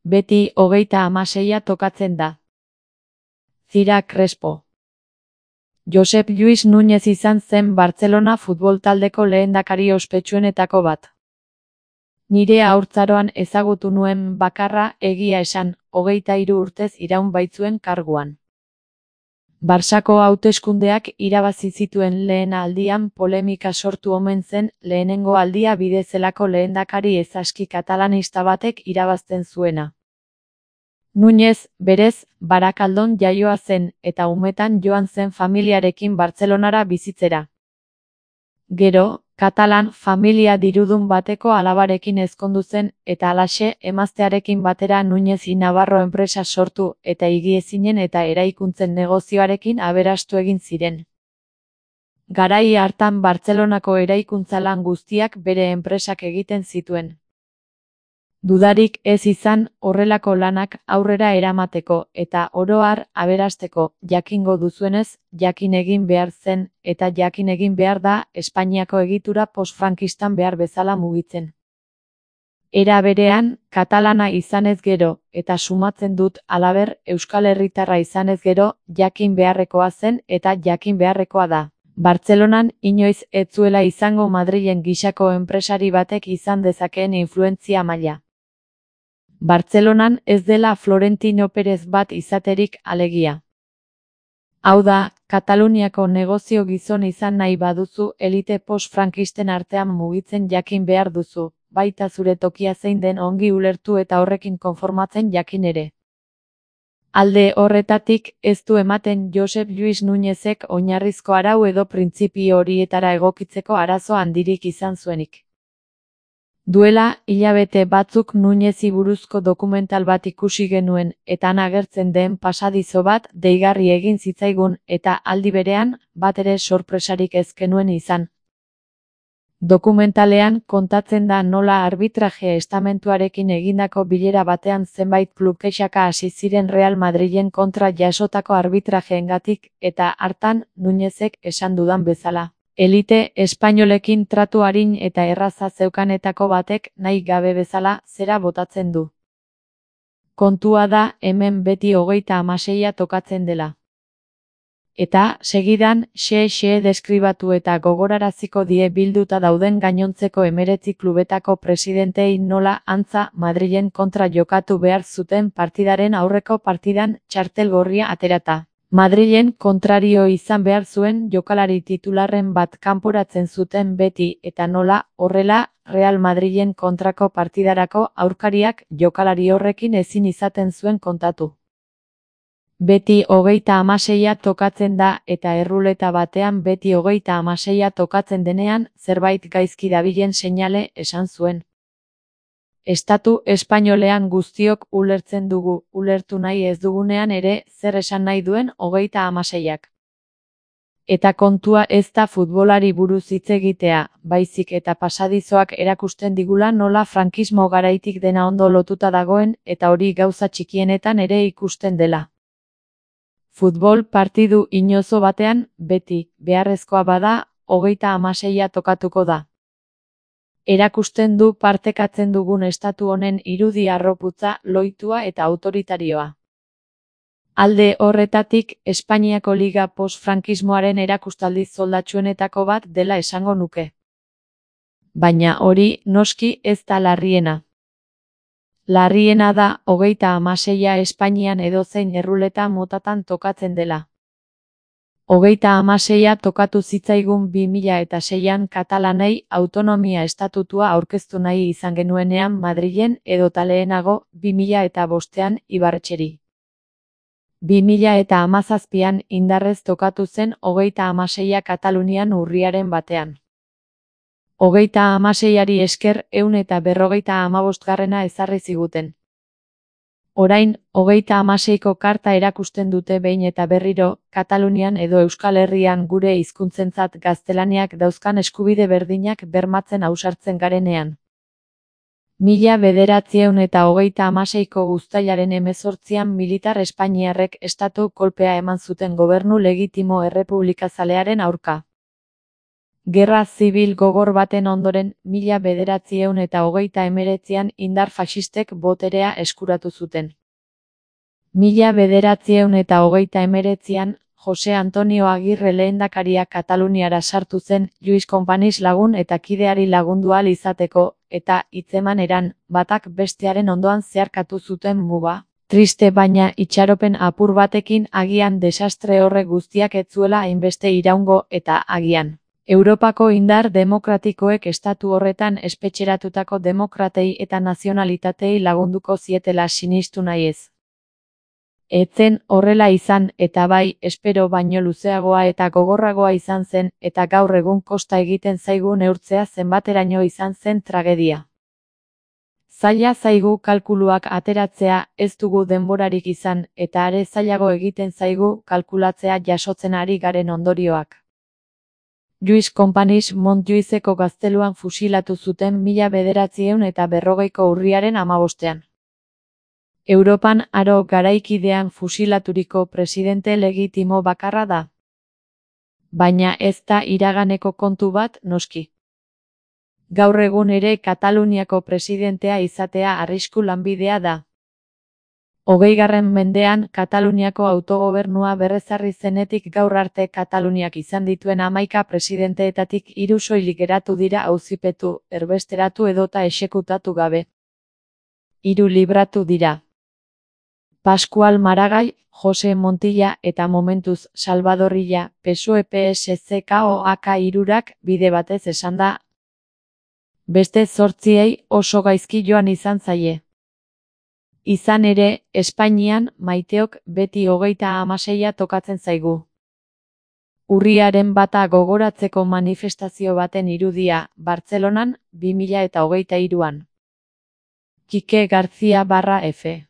Beti 36 tokatzen da. Zira Crespo. Josep Lluís Núñez izan zen Bartzelona futbol taldeko lehendakari ospetsuenetako bat. Nire haurtzaroan ezagutu nuen bakarra, egia esan, 23 urtez iraun baitzuen karguan. Barsako hauteskundeak irabazi zituen lehen aldian polemika sortu omen zen lehenengo aldia bidezelako lehendakari ezaski katalanista batek irabazten zuena. Núñez, berez, Barakaldon jaioa zen eta umetan joan zen familiarekin Bartzelonara bizitzera. Gero, katalan familia dirudun bateko alabarekin ezkondu zen eta halaxe emaztearekin batera Núñez y Navarro enpresa sortu eta higiezinen eta eraikuntzen negozioarekin aberastu egin ziren. Garai hartan Bartzelonako eraikuntza lan guztiak bere enpresak egiten zituen. Dudarik ez izan horrelako lanak aurrera eramateko eta oro har aberasteko, jakingo duzuenez, jakin egin behar zen eta jakin egin behar da Espainiako egitura postfrankistan behar bezala mugitzen. Era berean, katalana izanez gero, eta sumatzen dut halaber Euskal Herritarra izanez gero, jakin beharrekoa zen eta jakin beharrekoa da. Bartzelonan inoiz ez zuela izango Madrilen gisako enpresari batek izan dezakeen influentzia maila. Bartzelonan ez dela Florentino Pérez bat izaterik alegia. Hau da, Kataluniako negozio gizon izan nahi baduzu elite post-frankisten artean mugitzen jakin behar duzu, baita zure tokia zein den ongi ulertu eta horrekin konformatzen jakin ere. Alde horretatik ez du ematen Josep Lluís Núñezek oinarrizko arau edo printzipio horietara egokitzeko arazo handirik izan zuenik. Duela, hilabete batzuk Núñezi buruzko dokumental bat ikusi genuen eta han agertzen den pasadizo bat deigarri egin zitzaigun eta aldi berean batere sorpresarik ez genuen izan. Dokumentalean kontatzen da nola arbitraje estamentuarekin egindako bilera batean zenbait klub kexaka hasi ziren Real Madrilen kontra jasotako arbitrajeengatik eta hartan Núñezek esan dudan bezala. Elite espainolekin tratu arin eta erraza zeukanetako batek nahi gabe bezala zera botatzen du. Kontua da hemen beti 36 tokatzen dela. Eta, segidan, xe deskribatu eta gogoraraziko die bilduta dauden gainontzeko 19 klubetako presidentei nola antza Madrilen kontra jokatu behar zuten partidaren aurreko partidan txartel gorria aterata. Madrilen kontrario izan behar zuen jokalari titularren bat kanporatzen zuten beti eta nola, horrela, Real Madrilen kontrako partidarako aurkariak jokalari horrekin ezin izaten zuen kontatu. Beti 36 tokatzen da eta erruleta batean beti 36 tokatzen denean zerbait gaizki dabilen seinale esan zuen. Estatu espainolean guztiok ulertzen dugu, ulertu nahi ez dugunean ere zer esan nahi duen 36ak. Eta kontua ez da futbolari buruz hitz egitea, baizik eta pasadizoak erakusten digula nola frankismo garaitik dena ondo lotuta dagoen eta hori gauza txikienetan ere ikusten dela. Futbol partidu inozo batean, beti, beharrezkoa bada, 36 tokatuko da. Erakusten du partekatzen dugun estatu honen irudi harroputza, loitua eta autoritarioa. Alde horretatik, Espainiako Liga post-frankismoaren erakustaldi zoldatsuenetako bat dela esango nuke. Baina hori, noski, ez da larriena. Larriena da 36 Espainian edozein erruleta motatan tokatzen dela. 36 tokatu zitzaigun 2006an katalanei autonomia estatutua aurkeztu nahi izan genuenean Madrilen edota lehenago 2005an Ibarretxeri. 2017an indarrez tokatu zen 36 Katalunian urriaren batean. 36ari esker 155garrena ezarri ziguten. Orain, 36ko karta erakusten dute behin eta berriro, Katalunian edo Euskal Herrian gure hizkuntzentzat gaztelaniak dauzkan eskubide berdinak bermatzen ausartzen garenean. 1936ko uztailaren 18an militar espainiarrek estatu kolpea eman zuten gobernu legitimo errepublikazalearen aurka. Gerra zibil gogor baten ondoren 1939an indar faxistek boterea eskuratu zuten. 1939an Jose Antonio Agirre lehendakaria Kataluniara sartu zen Lluís Companys lagun eta kideari lagundu ahal izateko, eta hitzemaneran batak bestearen ondoan zeharkatu zuten muga. Triste baina itxaropen apur batekin agian desastre horrek guztiak ez zuela hainbeste iraungo eta agian Europako indar demokratikoek estatu horretan espetxeratutako demokratei eta nazionalitatei lagunduko zietela sinistu nahiez. Etzen horrela izan eta bai, espero baino luzeagoa eta gogorragoa izan zen eta gaur egun kosta egiten zaigu neurtzea zenbateraino izan zen tragedia. Zaila zaigu kalkuluak ateratzea, ez dugu denborarik izan eta are zailago egiten zaigu kalkulatzea jasotzen ari garen ondorioak. Lluís Companys Montjuïceko gazteluan fusilatu zuten 1940ko urriaren 15. Europan aro garaikidean fusilaturiko presidente legitimo bakarra da. Baina ez da iraganeko kontu bat, noski. Gaur egun ere Kataluniako presidentea izatea arrisku lanbidea da. 20. mendean Kataluniako autogobernua berrezarri zenetik gaur arte Kataluniak izan dituen 11 presidenteetatik 3 soilik geratu dira auzipetu, erbesteratu edota exekutatu gabe. 3 libratu dira. Pascual Maragall, Jose Montilla eta momentuz Salvador Illa, PSOE-PSC-KOAK hirurak bide batez esan da. Beste 8 oso gaizki joan izan zaie. Izan ere, Espainian maiteok beti 36 tokatzen zaigu. Urriaren 1 gogoratzeko manifestazio baten irudia, Bartzelonan, 2023an. Kike García /F